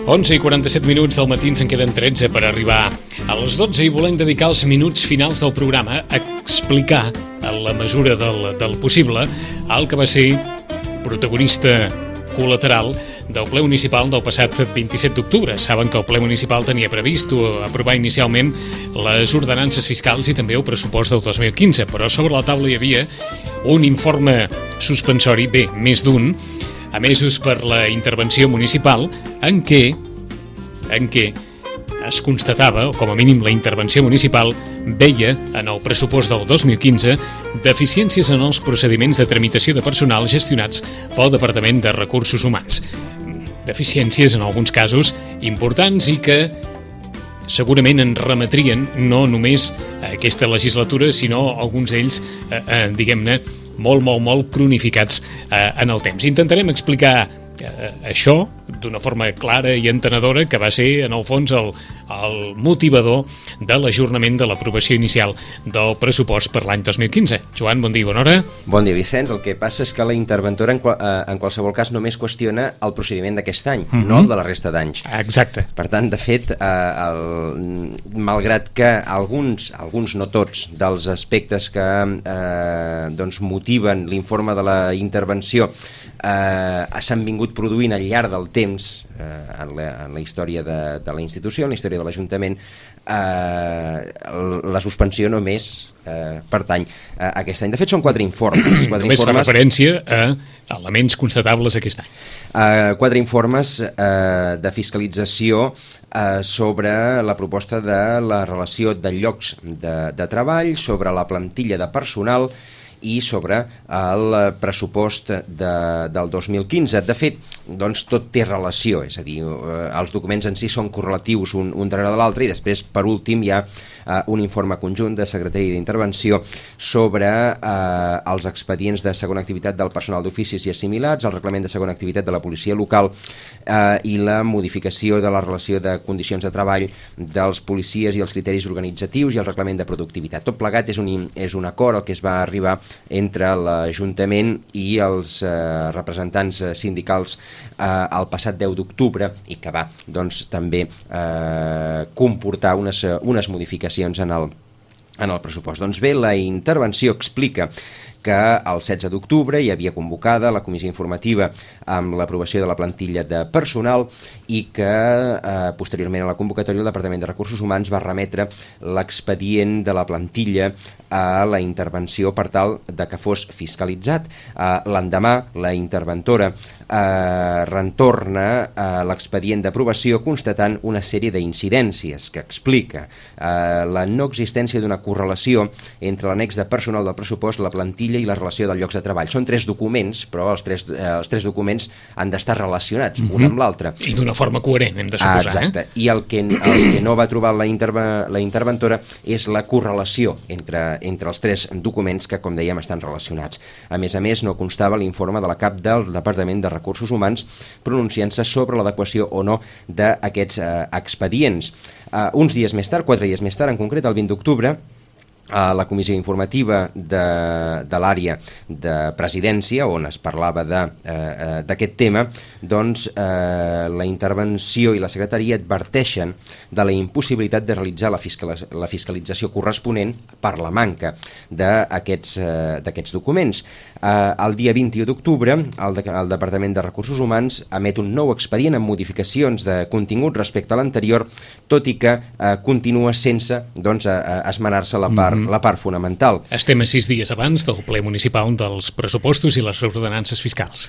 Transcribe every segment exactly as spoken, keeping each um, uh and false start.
onze i quaranta-set minuts del matí, ens en queden tretze per arribar a les dotze i volem dedicar els minuts finals del programa a explicar, en la mesura del, del possible, el que va ser protagonista col·lateral del ple municipal del passat vint-i-set d'octubre. Saben que el ple municipal tenia previst aprovar inicialment les ordenances fiscals i també el pressupost del dos mil quinze, però sobre la taula hi havia un informe suspensori, bé, més d'un, emesos per la intervenció municipal, en què, en què es constatava, o com a mínim la intervenció municipal veia en el pressupost del dos mil quinze deficiències en els procediments de tramitació de personal gestionats pel Departament de Recursos Humans. Deficiències en alguns casos importants i que segurament en remetrien no només a aquesta legislatura, sinó alguns d'ells, eh, eh, diguem-ne, molt, molt, molt cronificats eh, en el temps. Intentarem explicar eh, això d'una forma clara i entenedora, que va ser, en el fons, el, el motivador de l'ajornament de l'aprovació inicial del pressupost per l'any dos mil quinze. Joan, bon dia, bona hora. Bon dia, Vicenç. El que passa és que la interventora, en, qual, eh, en qualsevol cas, només qüestiona el procediment d'aquest any, mm-hmm. no el de la resta d'anys. Exacte. Per tant, de fet, eh, el, malgrat que alguns, alguns no tots, dels aspectes que eh, doncs motiven l'informe de la intervenció eh, s'han vingut produint al llarg del temps eh, en, la, en la història de, de la institució, en la història de l'Ajuntament, eh, la suspensió només eh, pertany a aquest any. De fet, són quatre informes. Quatre només informes, fa referència a elements constatables aquest any. Uh, quatre informes uh, de fiscalització uh, sobre la proposta de la relació de llocs de, de treball, sobre la plantilla de personal i sobre el pressupost de, del dos mil quinze. De fet, doncs, tot té relació, és a dir, eh, els documents en si són correlatius un, un darrere de l'altre, i després, per últim, hi ha eh, un informe conjunt de Secretaria d'Intervenció sobre eh, els expedients de segona activitat del personal d'oficis i assimilats, el reglament de segona activitat de la policia local eh, i la modificació de la relació de condicions de treball dels policies i els criteris organitzatius i el reglament de productivitat. Tot plegat és un, és un acord al que es va arribar entre l'Ajuntament i els eh, representants eh, sindicals eh, el passat deu d'octubre i que va doncs, també eh, comportar unes, unes modificacions en el, en el pressupost. Doncs bé, la intervenció explica que el setze d'octubre hi havia convocada la comissió informativa amb l'aprovació de la plantilla de personal i que eh, posteriorment a la convocatòria el Departament de Recursos Humans va remetre l'expedient de la plantilla a la intervenció per tal de que fos fiscalitzat. Eh, l'endemà la interventora eh, retorna eh, l'expedient d'aprovació constatant una sèrie d'incidències que explica eh, la no existència d'una correlació entre l'annex de personal del pressupost, la plantilla i la relació dels llocs de treball. Són tres documents, però els tres, eh, els tres documents han d'estar relacionats, mm-hmm. un amb l'altre. I d'una forma coherent, hem de suposar. Ah, exacte. Eh? I el que, el que no va trobar la, interve, la interventora és la correlació entre, entre els tres documents que, com dèiem, estan relacionats. A més a més, no constava l'informe de la cap del Departament de Recursos Humans pronunciant-se sobre l'adequació o no d'aquests eh, expedients. Eh, uns dies més tard, quatre dies més tard, en concret el vint d'octubre, a la comissió informativa de, de l'àrea de presidència, on es parlava d'aquest eh, tema, doncs eh, la intervenció i la secretaria adverteixen de la impossibilitat de realitzar la, fiscal, la fiscalització corresponent per la manca d'aquests eh, documents. Eh, el dia vint-i-u d'octubre, el, de, el Departament de Recursos Humans emet un nou expedient amb modificacions de contingut respecte a l'anterior, tot i que eh, continua sense doncs, eh, esmenar-se la part la part fonamental. Estem a sis dies abans del ple municipal dels pressupostos i les ordenances fiscals.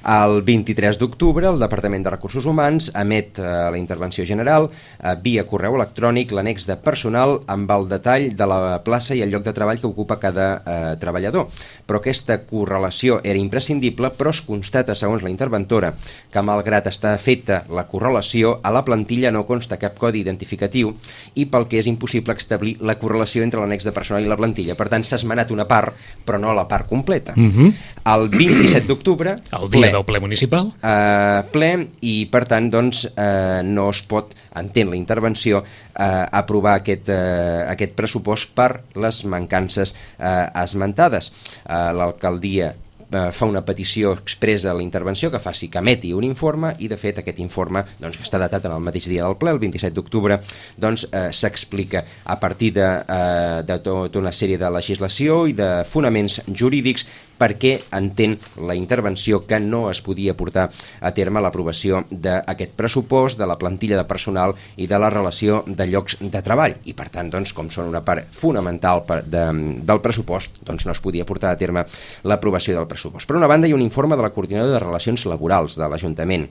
El vint-i-tres d'octubre, el Departament de Recursos Humans emet eh, la intervenció general eh, via correu electrònic l'annex de personal amb el detall de la plaça i el lloc de treball que ocupa cada eh, treballador. Però aquesta correlació era imprescindible, però es constata, segons la interventora, que malgrat està feta la correlació, a la plantilla no consta cap codi identificatiu i pel que és impossible establir la correlació entre l'annex de personal i la plantilla. Per tant, s'ha esmenat una part, però no la part completa. Mm-hmm. El vint-i-set d'octubre... El dia ple, del ple municipal. Eh, ple, i per tant, doncs, eh, no es pot, entén la intervenció, eh, aprovar aquest, eh, aquest pressupost per les mancances eh, esmentades. Eh, l'alcaldia eh, fa una petició expressa a la intervenció que faci que emeti un informe, i de fet aquest informe, doncs, que està datat en el mateix dia del ple, el vint-i-set d'octubre, doncs eh, s'explica a partir de, eh, de tota una sèrie de legislació i de fonaments jurídics perquè entén la intervenció que no es podia portar a terme l'aprovació d'aquest pressupost, de la plantilla de personal i de la relació de llocs de treball. I per tant, doncs, com són una part fonamental de, del pressupost, doncs no es podia portar a terme l'aprovació del pressupost. Per una banda, hi ha un informe de la Coordinadora de Relacions Laborals de l'Ajuntament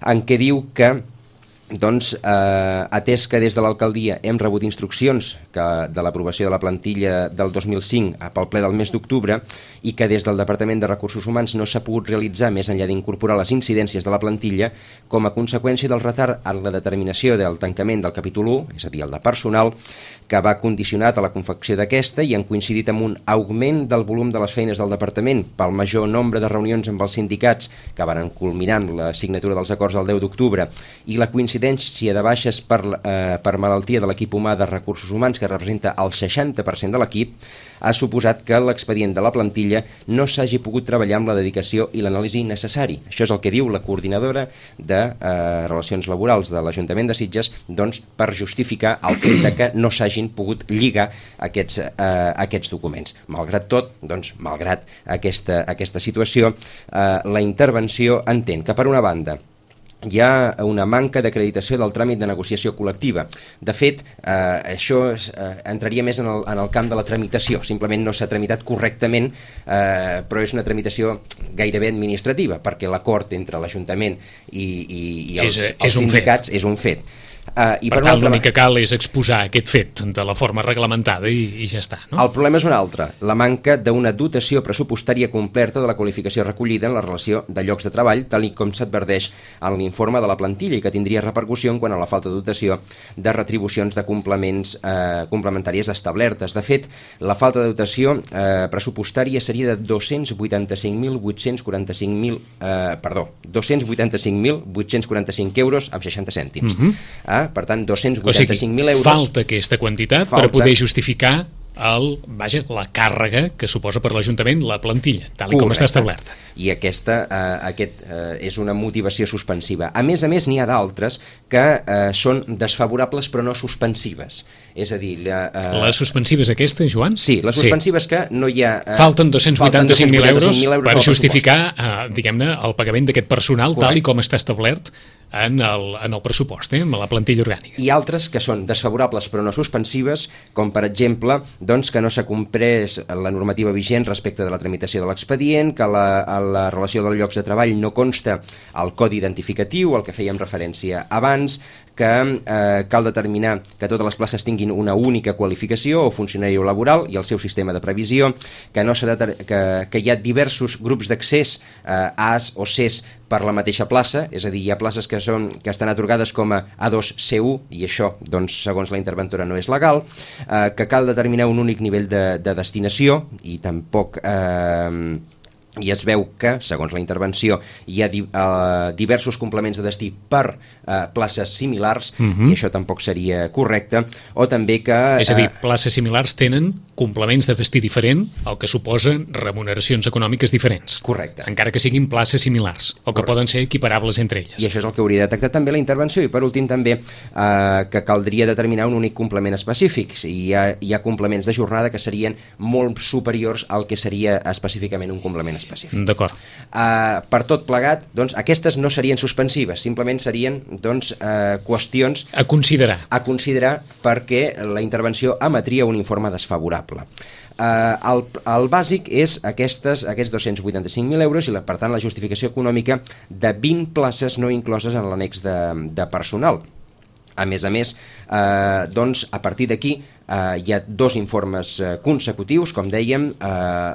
en què diu que doncs, eh, atès que des de l'alcaldia hem rebut instruccions que de l'aprovació de la plantilla del dos mil cinc pel ple del mes d'octubre i que des del Departament de Recursos Humans no s'ha pogut realitzar més enllà d'incorporar les incidències de la plantilla, com a conseqüència del retard en la determinació del tancament del capítol u, és a dir, el de personal, que va condicionat a la confecció d'aquesta i han coincidit amb un augment del volum de les feines del departament pel major nombre de reunions amb els sindicats que van culminar la signatura dels acords el deu d'octubre i la coincidència de baixes per, eh, per malaltia de l'equip humà de Recursos Humans, que representa el seixanta per cent de l'equip, ha suposat que l'expedient de la plantilla no s'hagi pogut treballar amb la dedicació i l'anàlisi necessari. Això és el que diu la coordinadora de eh, Relacions Laborals de l'Ajuntament de Sitges, doncs, per justificar el fet de que no s'hagin pogut lligar aquests, eh, aquests documents. Malgrat tot, doncs, malgrat aquesta, aquesta situació, eh, la intervenció entén que, per una banda, hi ha una manca d'acreditació del tràmit de negociació col·lectiva. De fet, eh, això eh, entraria més en el, en el camp de la tramitació. Simplement no s'ha tramitat correctament, eh, però és una tramitació gairebé administrativa, perquè l'acord entre l'Ajuntament i, i, i els, és, els és sindicats és un fet. Uh, i per, per tant, l'únic que cal és exposar aquest fet de la forma reglamentada i, i ja està, no? El problema és un altre, la manca d'una dotació pressupostària completa de la qualificació recollida en la relació de llocs de treball, tal i com s'adverteix en l'informe de la plantilla i que tindria repercussió en quant a la falta de dotació de retribucions de complements eh, complementàries establertes. De fet, la falta de dotació eh, pressupostària seria de dos-cents vuitanta-cinc mil vuit-cents quaranta-cinc mil eh, perdó, dos-cents vuitanta-cinc mil vuit-cents quaranta-cinc euros amb seixanta cèntims. Mm-hmm. eh, Per tant, dos-cents vuitanta-cinc mil euros... O sigui, falta aquesta quantitat falta... per poder justificar el, vaja, la càrrega que suposa per l'Ajuntament la plantilla, tal i com està establerta. I aquesta eh, aquest, eh, és una motivació suspensiva. A més a més, n'hi ha d'altres que eh, són desfavorables però no suspensives. És a dir... La, eh... les suspensives aquestes, Joan? Sí, les suspensives sí. que no hi ha... Eh, falten dos-cents vuitanta-cinc mil euros, euros per justificar eh, diguem-ne, el pagament d'aquest personal. Correcte. Tal i com està establert en el, en el pressupost, eh, en la plantilla orgànica. I altres que són desfavorables però no suspensives, com per exemple doncs, que no s'ha comprès la normativa vigent respecte de la tramitació de l'expedient, que la, a la relació dels llocs de treball no consta el codi identificatiu, al que fèiem referència abans, que eh, cal determinar que totes les places tinguin una única qualificació o funcionari laboral i el seu sistema de previsió, que, no de, que, que hi ha diversos grups d'accés eh, A's o C's per la mateixa plaça, és a dir, hi ha places que, són, que estan atorgades com a A dos C u i això, doncs, segons la interventora no és legal, eh, que cal determinar un únic nivell de, de destinació i tampoc... Eh, i es veu que, segons la intervenció, hi ha di, uh, diversos complements de destí per uh, places similars, uh-huh. i això tampoc seria correcte, o també que... Uh, és a dir, places similars tenen complements de destí diferent, el que suposa remuneracions econòmiques diferents. Correcte. Encara que siguin places similars, o que Correcte. Poden ser equiparables entre elles. I això és el que hauria de detectar també la intervenció, i per últim també uh, que caldria determinar un únic complement específic. Hi ha, hi ha complements de jornada que serien molt superiors al que seria específicament un complement específic. D'acord. Uh, per tot plegat, doncs, aquestes no serien suspensives, simplement serien doncs, uh, qüestions a considerar. a considerar perquè la intervenció emetria un informe desfavorable. Uh, el, el bàsic és aquestes, aquests dos-cents vuitanta-cinc mil euros i la, per tant la justificació econòmica de vint places no incloses en l'annex de, de personal. A més a més, eh, doncs, a partir d'aquí eh, hi ha dos informes eh, consecutius, com dèiem, eh,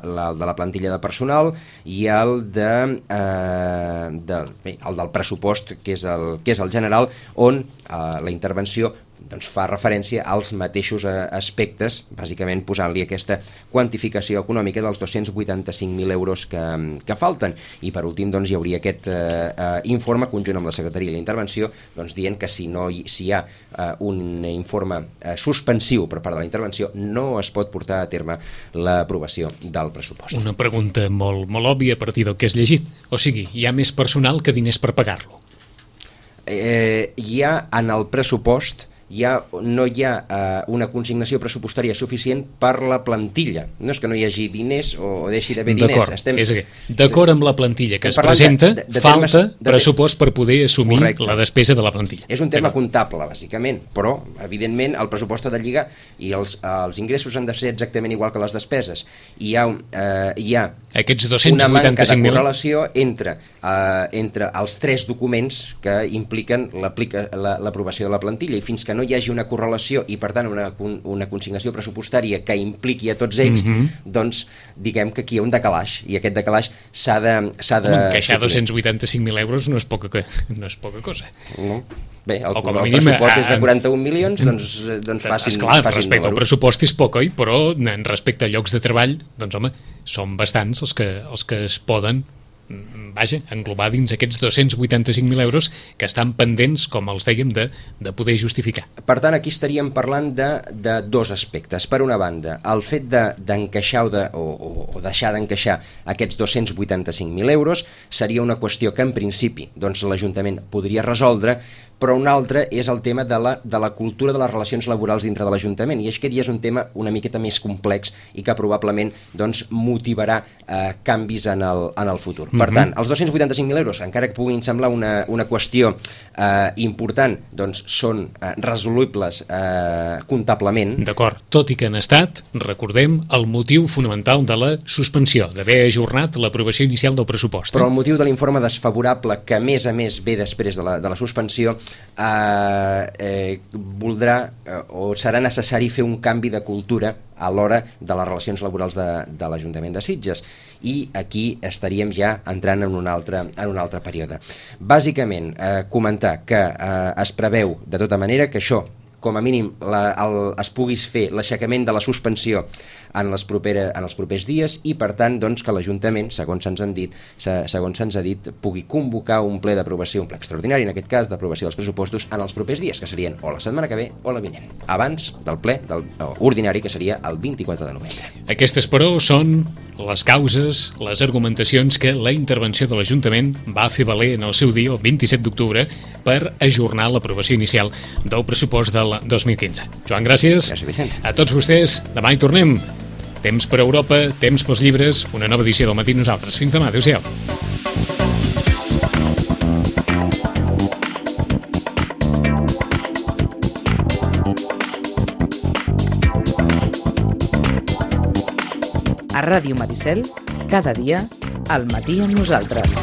la, el de la plantilla de personal i el, de, eh, de, bé, el del pressupost, que és el, que és el general, on eh, la intervenció doncs fa referència als mateixos aspectes, bàsicament posant-li aquesta quantificació econòmica dels dos-cents vuitanta-cinc mil euros que, que falten. I per últim doncs, hi hauria aquest eh, eh, informe conjunt amb la Secretaria i la Intervenció doncs, dient que si, no hi, si hi ha eh, un informe eh, suspensiu per part de la Intervenció no es pot portar a terme l'aprovació del pressupost. Una pregunta molt, molt òbvia a partir del que has llegit. O sigui, hi ha més personal que diners per pagar-lo. Eh, hi ha en el pressupost hi ha, no hi ha eh, una consignació pressupostària suficient per la plantilla. No és que no hi hagi diners o, o deixi d'haver diners. D'acord, Estem... és que, d'acord amb la plantilla que es presenta, de, de, de falta termes, de... pressupost per poder assumir Correcte. La despesa de la plantilla. És un tema comptable, bàsicament, però, evidentment, el pressupost ha de lligar i els, els ingressos han de ser exactament igual que les despeses. Hi ha, eh, hi ha Aquests dos-cents vuitanta-cinc mil una manca de correlació entre, eh, entre els tres documents que impliquen l'aprovació de la plantilla, i fins que no hi hagi una correlació i per tant una, una consignació pressupostària que impliqui a tots ells, mm-hmm. doncs diguem que aquí hi ha un decalaix i aquest decalaix s'ha de... S'ha de Home, encaixar dos-cents vuitanta-cinc mil euros no és poca, no és poca cosa. No. Bé, el, el mínim, pressupost a, és de quaranta-un milions, doncs, doncs facin, esclar, facin respecte números. Al pressupost és poc, oi? Però en respecte a llocs de treball, doncs home, són bastants els que, els que es poden vaja, englobar dins aquests dos-cents vuitanta-cinc mil euros que estan pendents, com els dèiem, de, de poder justificar. Per tant, aquí estaríem parlant de, de dos aspectes. Per una banda, el fet d'encaixar de, de, o, o deixar d'encaixar aquests dos-cents vuitanta-cinc mil euros seria una qüestió que en principi doncs, l'Ajuntament podria resoldre, però un altre és el tema de la, de la cultura de les relacions laborals dintre de l'Ajuntament, i aquest ja és un tema una miqueta més complex i que probablement doncs, motivarà eh, canvis en el, en el futur. Mm-hmm. Per tant, els dos-cents vuitanta-cinc mil euros, encara que puguin semblar una, una qüestió eh, important, doncs són eh, resolubles eh, comptablement. D'acord, tot i que han estat, recordem, el motiu fonamental de la suspensió, d'haver ajornat l'aprovació inicial del pressupost. Eh? Però el motiu de l'informe desfavorable, que a més a més ve després de la, de la suspensió, eh, eh, voldrà eh, o serà necessari fer un canvi de cultura a l'hora de les relacions laborals de, de l'Ajuntament de Sitges, i aquí estaríem ja entrant en un altre, en un altre període. Bàsicament, eh, comentar que eh, es preveu de tota manera que això, com a mínim la, el, es puguis fer l'aixecament de la suspensió en, les propera, en els propers dies, i per tant doncs, que l'Ajuntament, segons se'ns han dit, se, segons se'ns ha dit, pugui convocar un ple d'aprovació, un ple extraordinari, en aquest cas d'aprovació dels pressupostos, en els propers dies, que serien o la setmana que ve o la vinent, abans del ple del, ordinari, que seria el vint-i-quatre de novembre. Aquestes, però, són les causes, les argumentacions que la intervenció de l'Ajuntament va fer valer en el seu dia, el vint-i-set d'octubre, per ajornar l'aprovació inicial del pressupost del dos mil quinze. Joan, gràcies. Gràcies, Vicenç. A tots vostès, demà hi tornem. Temps per Europa, temps pels llibres, una nova edició del Matí Nosaltres. Fins demà, adéu-siau. A Ràdio Maricel, cada dia, al matí amb nosaltres.